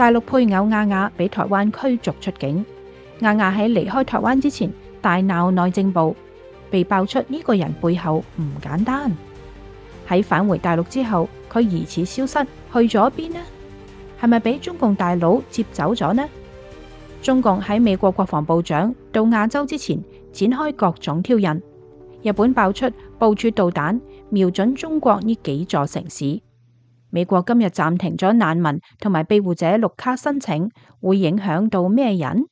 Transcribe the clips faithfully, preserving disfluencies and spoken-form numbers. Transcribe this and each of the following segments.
大陸配偶亞亞俾台灣驅逐出境。亞亞喺離開台灣之前大鬧內政部，被爆出呢個人背後唔簡單。喺返回大陸之後，佢疑似消失，去咗邊呢？係咪俾中共大佬接走咗呢？中共喺美國國防部長到亞洲之前展開各種挑釁。日本爆出部署導彈瞄準中國呢幾座城市。美國今日暫停咗難民同埋庇護者綠卡申請，會影響到咩人？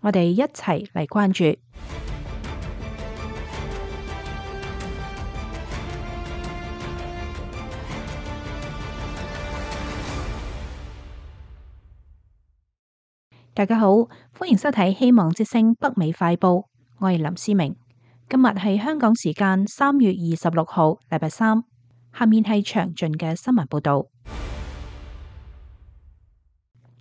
我哋一齊嚟關注。大家好，歡迎收睇《希望之聲》北美快報，我係林思明。今日係香港時間三月二十六號，禮拜三。下面係詳盡嘅新聞報道。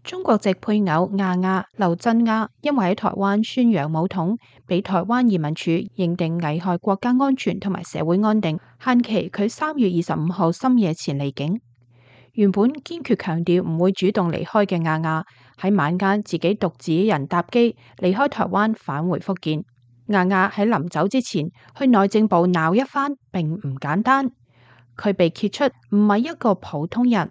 中國籍配偶亞亞劉振亞因為喺台灣宣揚武統，被台灣移民署認定危害國家安全同埋社會安定，限期佢三月二十五號深夜前離境。原本堅決強調唔會主動離開嘅亞亞，喺晚間自己獨自一人搭機離開台灣返回福建。亞亞喺臨走之前去內政部鬧一番，並唔簡單。佢被揭出唔係一個普通人。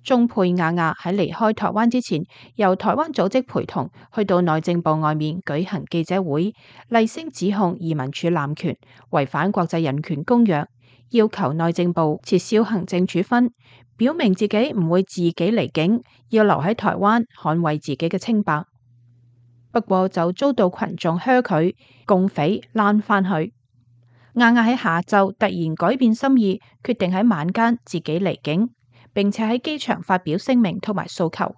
中配亞亞喺離開台灣之前，由台灣組織陪同去到內政部外面舉行記者會，厲聲指控移民署濫權，違反國際人權公約，要求內政部撤銷行政處分，表明自己唔會自己離境，要留喺台灣捍衛自己嘅清白。不過就遭到群眾噓佢共匪攔返去。亞亞喺下晝突然改變心意，決定喺晚間自己離境，並且喺機場發表聲明同埋訴求。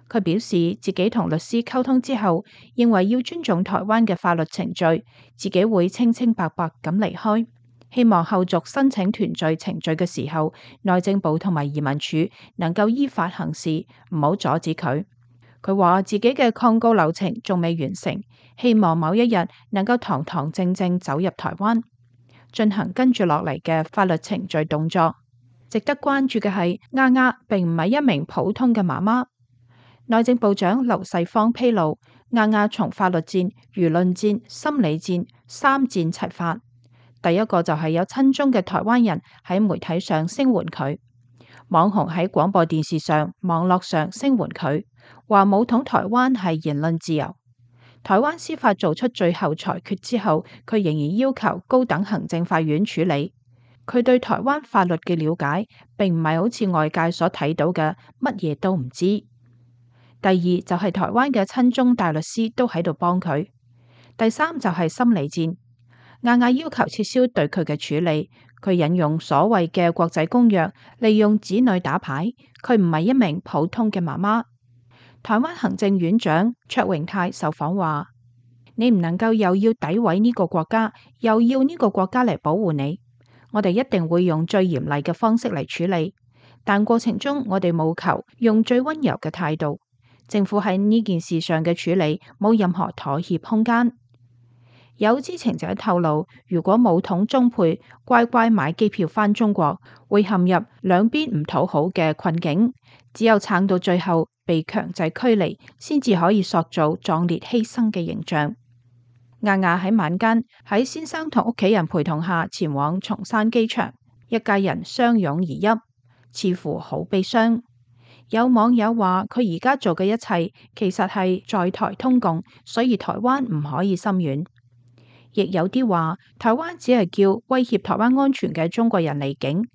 佢表示自己同律師溝通之後，認為要尊重台灣嘅法律程序，自己會清清白白咁離開。希望後續申請團聚程序嘅時候，內政部同埋移民署能夠依法行事，唔好阻止佢。佢話自己嘅抗告流程仲未完成，希望某一日能夠堂堂正正走入台灣，進行跟住落嚟嘅法律程序動作。值得關注嘅係，亞亞並唔係一名普通嘅媽媽。內政部長劉世芳披露，亞亞從法律戰、輿論戰、心理戰三戰齊發。第一個就係有親中嘅台灣人喺媒體上聲援佢，網紅喺廣播電視上、網絡上聲援佢，話武統台灣係言論自由。台灣司法做出最後裁決之後，佢仍然要求高等行政法院處理。佢對台灣法律嘅了解，並唔係好似外界所睇到嘅乜嘢都唔知。第二就係台灣嘅親中大律師都喺度幫佢。第三就係心理戰。亞亞要求撤銷對佢嘅處理，佢引用所謂嘅國際公約，利用子女打牌。佢唔係一名普通嘅媽媽。台灣行政院長卓榮泰受訪話：你唔能夠又要詆毀呢個國家，又要呢個國家嚟保護你。我哋一定會用最嚴厲嘅方式嚟處理，但過程中我哋務求用最溫柔嘅態度。政府喺呢件事上嘅處理冇任何妥協空間。有知情者透露，如果武統中配乖乖買機票返中國，會陷入兩邊唔討好嘅困境。只有撐到最後，被強制驅離，先至可以塑造壯烈犧牲嘅形象。亞亞喺晚間喺先生同屋企人陪同下前往松山機場，一家人相擁而泣，似乎好悲傷。有網友話佢而家做嘅一切其實係在台通共，所以台灣唔可以心軟。亦有啲話台灣只係叫威脅台灣安全嘅中國人離境。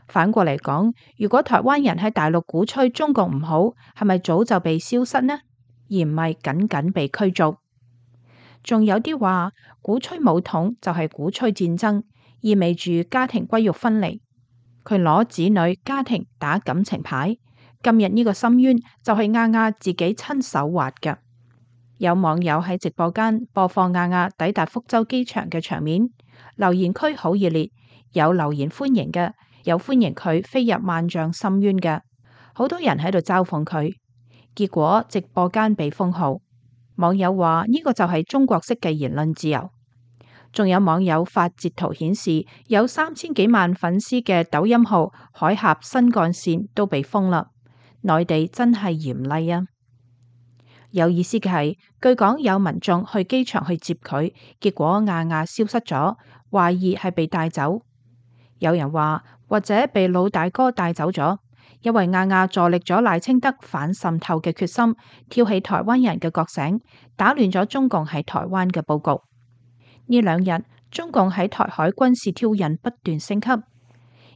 反過嚟講，如果台灣人喺大陸鼓吹中共唔好，係咪早就被消失呢？而唔係僅僅被驅逐。仲有啲話鼓吹武統就係鼓吹戰爭，意味住家庭骨肉分離。佢攞子女家庭打感情牌。今日呢個深淵就係亞亞自己親手挖嘅。有網友喺直播間播放亞亞抵達福州機場嘅場面，留言區好熱烈，有留言歡迎嘅，有歡迎佢飛入萬丈深淵嘅，好多人喺度嘲諷佢。結果直播間被封號。網友話呢個就係中國式嘅言論自由。仲有網友發截圖顯示，有三千幾萬粉絲嘅抖音號海峽新幹線都被封啦。內地真係嚴厲啊！有意思嘅係，據講有民眾去機場去接佢，結果亞亞消失咗，懷疑係被帶走。有人話或者被老大哥帶走咗，因為亞亞助力咗賴清德反滲透嘅決心，挑起台灣人嘅覺醒，打亂咗中共喺台灣嘅佈局。呢兩日中共喺台海軍事挑釁不斷升級。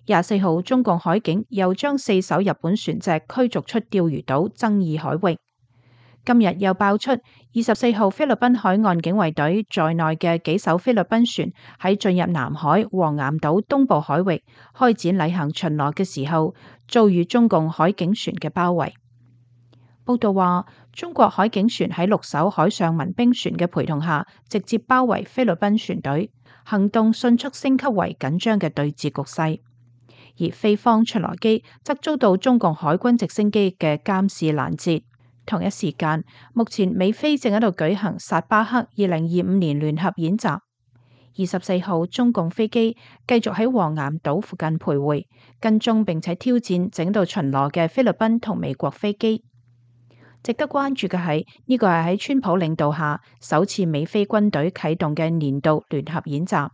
廿四號中共海警又將四艘日本船隻驅逐出釣魚島爭議海域。今日又爆出二十四號菲律賓海岸警衛隊在內嘅幾艘菲律賓船喺進入南海黃岩島東部海域開展例行巡邏嘅時候，遭遇中共海警船嘅包圍。報道話，中國海警船喺六艘海上民兵船嘅陪同下，直接包圍菲律賓船隊，行動迅速升級為緊張嘅對峙局勢。而菲方巡邏機則遭到中共海軍直升機嘅監視攔截。同一時間，目前美菲正喺度舉行薩巴克二零二五年聯合演習。二十四號中共飛機繼續喺黃岩島附近徘徊，跟蹤並且挑戰整度巡邏嘅菲律賓同美國飛機。值得關注嘅係，呢個係喺川普領導下首次美菲軍隊啟動嘅年度聯合演習。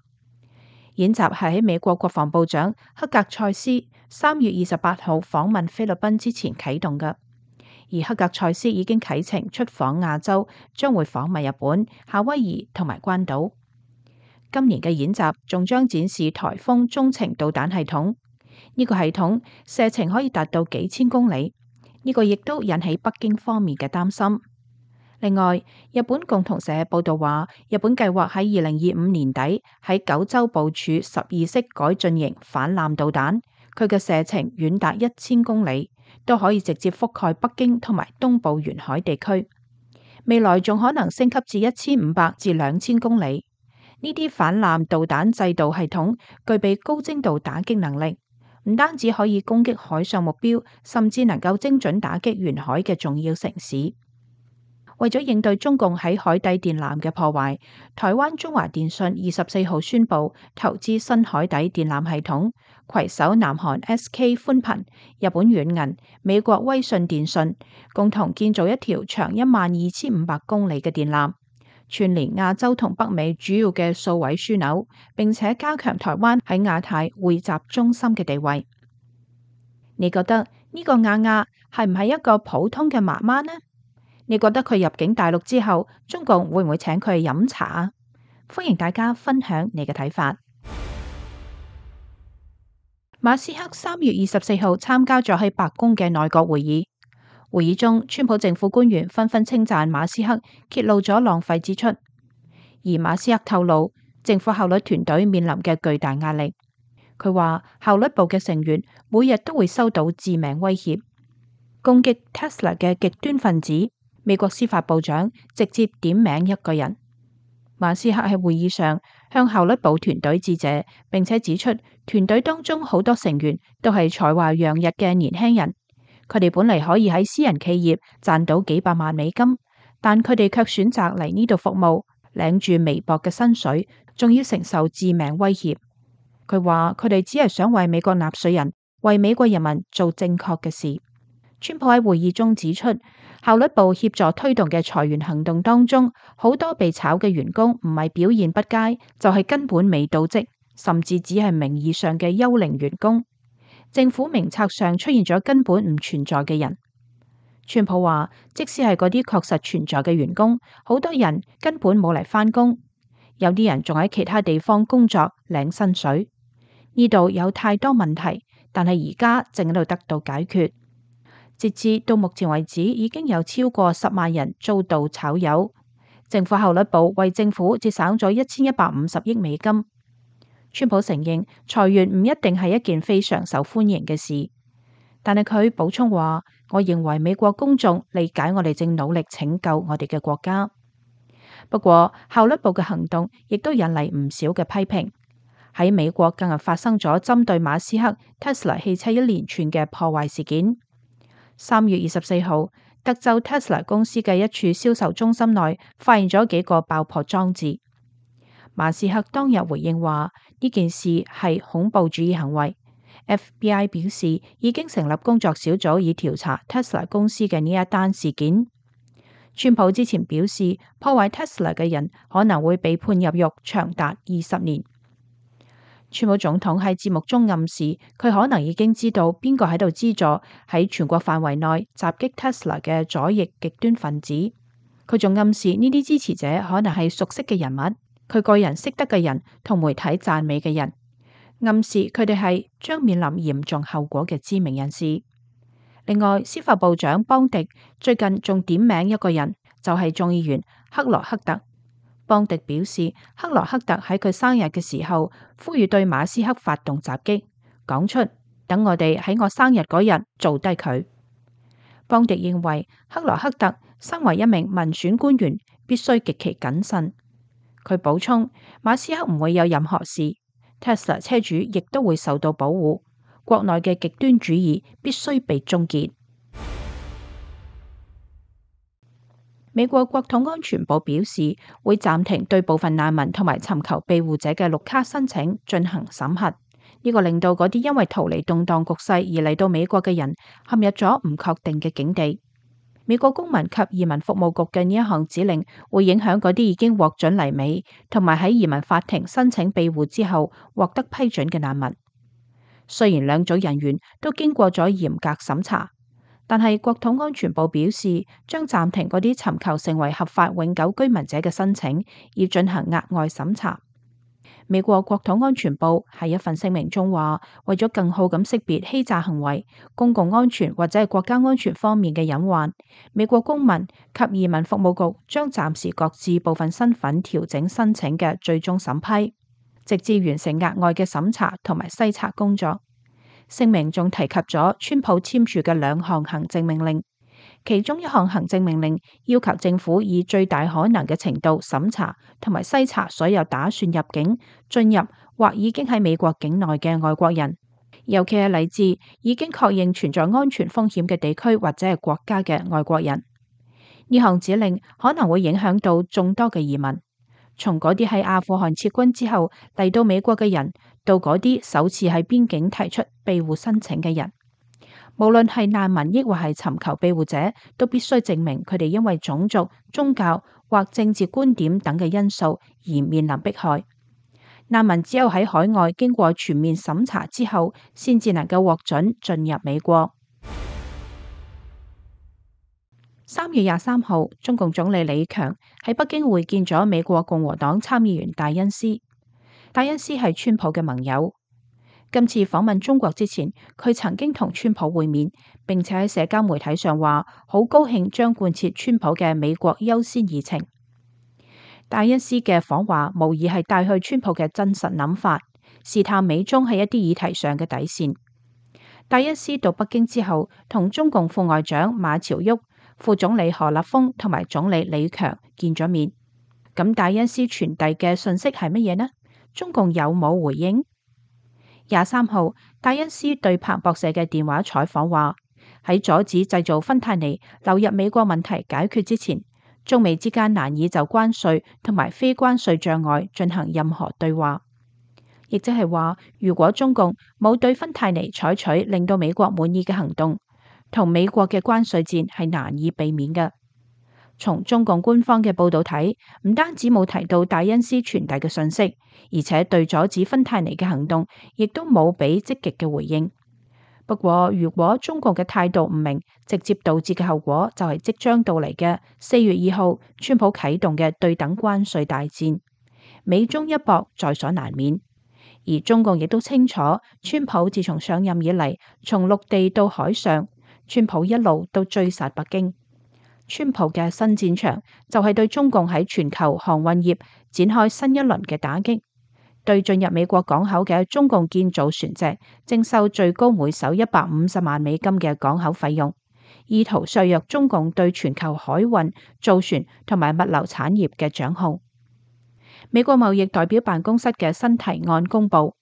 演習係喺美國國防部長克格塞斯三月二十八號訪問菲律賓之前啟動嘅。而克格塞斯已經啟程出訪亞洲，將會訪問日本、夏威夷同埋關島。今年嘅演習仲將展示颱風中程導彈系統，呢個系統射程可以達到幾千公里，呢個亦都引起北京方面嘅擔心。另外，日本共同社報道話，日本計劃喺二零二五年底喺九州部署十二式改進型反艦導彈，佢嘅射程遠達一千公里，都可以直接覆蓋北京同埋東部沿海地區。未來仲可能升級至一千五百至兩千公里。呢啲反艦導彈制導系統具備高精度打擊能力，唔單止可以攻擊海上目標，甚至能夠精準打擊沿海嘅重要城市。為咗應對中共喺海底電纜嘅破壞，台灣中華電信二十四號宣布投資新海底電纜系統，攜手南韓 S K 寬頻、日本軟銀、美國威信電信，共同建造一條長一萬二千五百公里嘅電纜，串聯亞洲同北美主要嘅數位樞紐，並且加強台灣喺亞太匯集中心嘅地位。你覺得呢個亞亞係唔係一個普通嘅媽媽呢？你覺得佢入境大陸之後，中共會唔會請佢去飲茶啊？歡迎大家分享你嘅睇法。馬斯克三月二十四號參加咗喺白宮嘅內閣會議，會議中，川普政府官員紛紛稱讚馬斯克揭露咗浪費支出，而馬斯克透露政府效率團隊面臨嘅巨大壓力。佢話效率部嘅成員每日都會收到致命威脅，攻擊 Tesla 嘅極端分子。美國司法部長直接點名一個人。馬斯克喺會議上向效率部團隊致謝，並且指出團隊當中好多成員都係才華洋溢嘅年輕人，佢哋本嚟可以喺私人企業賺到幾百萬美金，但佢哋卻選擇嚟呢度服務，領住微薄嘅薪水，仲要承受致命威脅。佢話佢哋只係想為美國納稅人、為美國人民做正確嘅事。川普喺會議中指出，效率部協助推動嘅裁員行動當中，好多被炒嘅員工唔係表現不佳，就係根本未到職，甚至只係名義上嘅幽靈員工。政府名冊上出現咗根本唔存在嘅人。川普話，即使係嗰啲確實存在嘅員工，好多人根本冇嚟返工，有啲人仲喺其他地方工作領薪水。呢度有太多問題，但係而家正喺度得到解決。截至到目前為止，已經有超過十萬人遭到炒魷。政府效率部為政府節省咗一千一百五十億美金。川普承認裁員唔一定係一件非常受歡迎嘅事，但係佢補充話：我認為美國公眾理解我哋正努力拯救我哋嘅國家。不過效率部嘅行動亦都引嚟唔少嘅批評。喺美國更係發生咗針對馬斯克 Tesla 汽車一連串嘅破壞事件。三月二十四號，德州 Tesla 公司嘅一處銷售中心內發現咗幾個爆破裝置。馬斯克當日回應話：呢件事係恐怖主義行為 F B I 表示已經成立工作小組以調查 Tesla 公司嘅呢一單事件。川普之前表示，破壞 Tesla 嘅人可能會被判入獄長達二十年。川普總統喺節目中暗示，佢可能已經知道邊個喺度資助喺全國範圍內襲擊 Tesla 嘅左翼極端分子。佢仲暗示呢啲支持者可能係熟悉嘅人物，佢個人識得嘅人同媒體讚美嘅人，暗示佢哋係將面臨嚴重後果嘅知名人士。另外，司法部長邦迪最近仲點名一個人，就係眾議員克羅克特。邦迪表示，克羅克特喺佢生日嘅時候呼籲對馬斯克發動襲擊，講出等我哋喺我生日嗰日做低佢。邦迪認為克羅克特身為一名民選官員，必須極其謹慎。佢補充，馬斯克唔會有任何事 ，Tesla 車主亦都會受到保護，國內嘅極端主義必須被終結。美國國土安全部表示，會暫停對部分難民同埋尋求庇護者嘅綠卡申請進行審核。呢個令到嗰啲因為逃離動盪局勢而嚟到美國嘅人陷入咗唔確定嘅境地。美國公民及移民服務局嘅呢一項指令會影響嗰啲已經獲准嚟美同埋喺移民法庭申請庇護之後獲得批准嘅難民。雖然兩組人員都經過咗嚴格審查，但係國土安全部表示將暫停嗰啲尋求成為合法永久居民者嘅申請，以進行額外審查。美國國土安全部喺一份聲明中話，為咗更好咁識別欺詐行為、公共安全或者係國家安全方面嘅隱患，美國公民及移民服務局將暫時擱置部分身份調整申請嘅最終審批，直至完成額外嘅審查同埋篩查工作。聲明仲提及咗川普簽署嘅兩項行政命令，其中一項行政命令要求政府以最大可能嘅程度審查同埋篩查所有打算入境、進入或已經喺美國境內嘅外國人，尤其係嚟自已經確認存在安全風險嘅地區或者係國家嘅外國人。呢項指令可能會影響到眾多嘅移民，從嗰啲喺阿富汗撤軍之後嚟到美國嘅人，到嗰啲首次喺邊境提出庇護申請嘅人。無論係難民抑或係尋求庇護者，都必須證明佢哋因為種族、宗教或政治觀點等嘅因素而面臨迫害。難民只有喺海外經過全面審查之後，先至能夠獲准進入美國。三月廿三號，中共總理李強喺北京會見咗美國共和黨參議員戴恩斯。戴恩斯係川普嘅盟友。今次訪問中國之前，佢曾經同川普會面，並且喺社交媒體上話好高興將貫徹川普嘅美國優先議程。戴恩斯嘅訪華無疑係帶去川普嘅真實諗法，試探美中喺一啲議題上嘅底線。戴恩斯到北京之後，同中共副外長馬朝旭、副總理何立峰同埋總理李強見咗面。咁戴恩斯傳遞嘅信息係乜嘢呢？中共有冇回應？廿三號，戴恩斯對彭博社嘅電話採訪話，喺阻止製造芬太尼流入美國問題解決之前，中美之間難以就關稅同埋非關稅障礙進行任何對話。亦即係話，如果中共冇對芬太尼採取令到美國滿意嘅行動，同美國嘅關稅戰係難以避免嘅。從中共官方嘅報道睇，唔單止冇提到戴恩斯傳遞嘅信息，而且對阻止芬太尼嘅行動，亦都冇俾積極嘅回應。不過，如果中共嘅態度唔明，直接導致嘅後果就係即將到嚟嘅四月二號，川普啟動嘅對等關稅大戰，美中一搏在所難免。而中共亦都清楚，川普自從上任以嚟，從陸地到海上，川普一路都追殺北京。川普嘅新戰場就係對中共喺全球航運業展開新一輪嘅打擊，對進入美國港口嘅中共建造船隻徵收最高每艘一百五十萬美金嘅港口費用，意圖削弱中共對全球海運、造船同埋物流產業嘅掌控。美國貿易代表辦公室嘅新提案公布，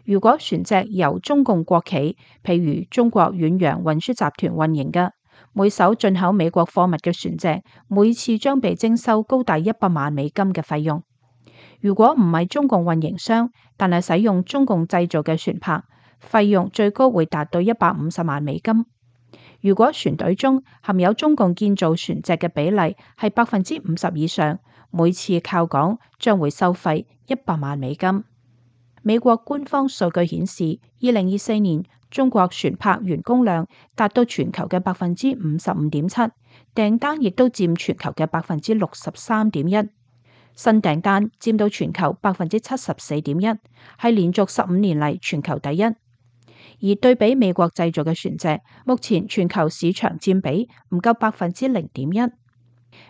如果船隻由中共國企，譬如中國遠洋運輸集團運營嘅，每艘進口美國貨物嘅船隻，每次將被徵收高達一百萬美金嘅費用。如果唔係中共運營商，但係使用中共製造嘅船舶，費用最高會達到一百五十萬美金。如果船隊中含有中共建造船隻嘅比例係百分之五十以上，每次靠港將會收費一百萬美金。美國官方數據顯示，二零二四年中國船舶員工量達到全球嘅百分之五十五點七，訂單亦都佔全球嘅百分之六十三點一，新訂單佔到全球百分之七十四點一，係連續十五年嚟全球第一。而對比美國製造嘅船隻，目前全球市場佔比唔夠百分之零點一。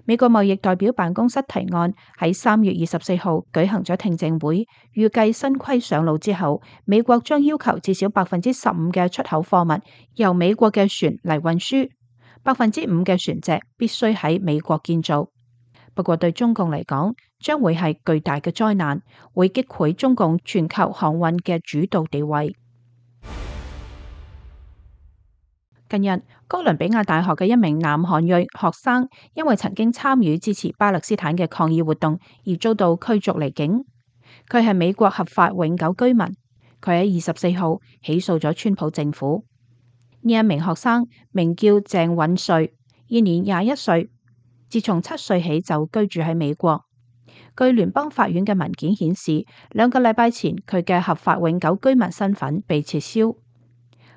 美國貿易代表辦公室提案喺三月二十四號舉行咗聽證會，預計新規上路之後，美國將要求至少百分之十五嘅出口貨物由美國嘅船嚟運輸，百分之五嘅船隻必須喺美國建造。不過對中共嚟講，將會係巨大嘅災難，會擊潰中共全球航運嘅主導地位。近日，哥倫比亞大學嘅一名南韓裔學生因為曾經參與支持巴勒斯坦嘅抗議活動而遭到驅逐離境。佢係美國合法永久居民。佢喺二十四號起訴咗川普政府。呢一名學生名叫鄭允瑞，現年廿一歲，自從七歲起就居住喺美國。據聯邦法院嘅文件顯示，兩個禮拜前佢嘅合法永久居民身份被撤銷。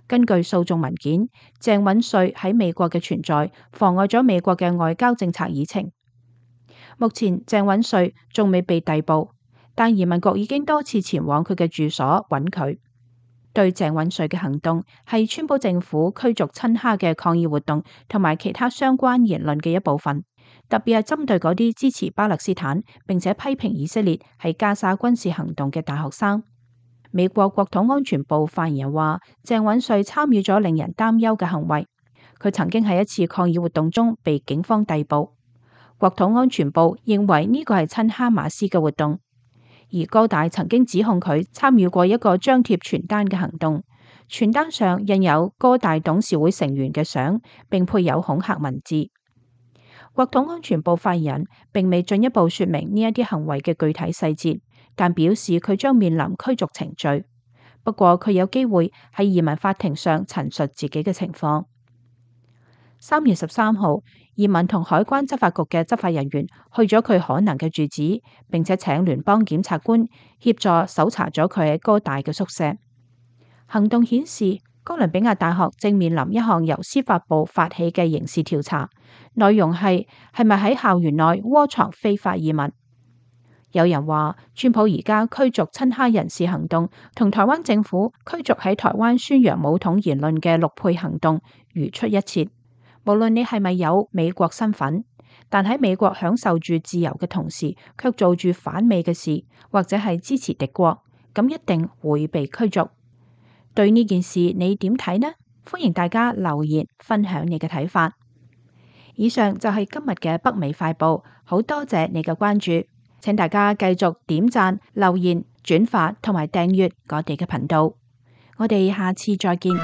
根據訴訟文件，鄭允瑞喺美國嘅存在妨礙咗美國嘅外交政策議程。目前鄭允瑞仲未被逮捕，但移民局已經多次前往佢嘅住所揾佢。對鄭允瑞嘅行動係川普政府驅逐親哈嘅抗議活動同埋其他相關言論嘅一部分，特別係針對嗰啲支持巴勒斯坦並且批評以色列喺加沙軍事行動嘅大學生。美國國土安全部發言人話，鄭允瑞參與咗令人擔憂嘅行為。佢曾經喺一次抗議活動中被警方逮捕。國土安全部認為呢個係親哈馬斯嘅活動，而哥大曾經指控佢參與過一個張貼傳單嘅行動，傳單上印有哥大董事會成員嘅相，並配有恐嚇文字。國土安全部發言人並未進一步說明呢一啲行為嘅具體細節，但表示佢將面臨驅逐程序。不過佢有機會喺移民法庭上陳述自己嘅情況。三月十三號，移民同海關執法局嘅執法人員去咗佢可能嘅住址，並且請聯邦檢察官協助搜查咗佢喺哥大嘅宿舍。行動顯示，哥倫比亞大學正面臨一項由司法部發起嘅刑事調查，內容係係咪喺校園內窩藏非法移民。有人話，川普而家驅逐親哈人士行動同台灣政府驅逐喺台灣宣揚武統言論嘅陸配行動如出一轍。無論你係咪有美國身份，但喺美國享受住自由嘅同時，卻做住反美嘅事，或者係支持敵國，咁一定會被驅逐。對呢件事你點睇呢？歡迎大家留言分享你嘅睇法。以上就係今日嘅北美快報，好多謝你嘅關注。請大家繼續點讚、留言、轉發同埋訂閱我哋嘅頻道。我哋下次再見。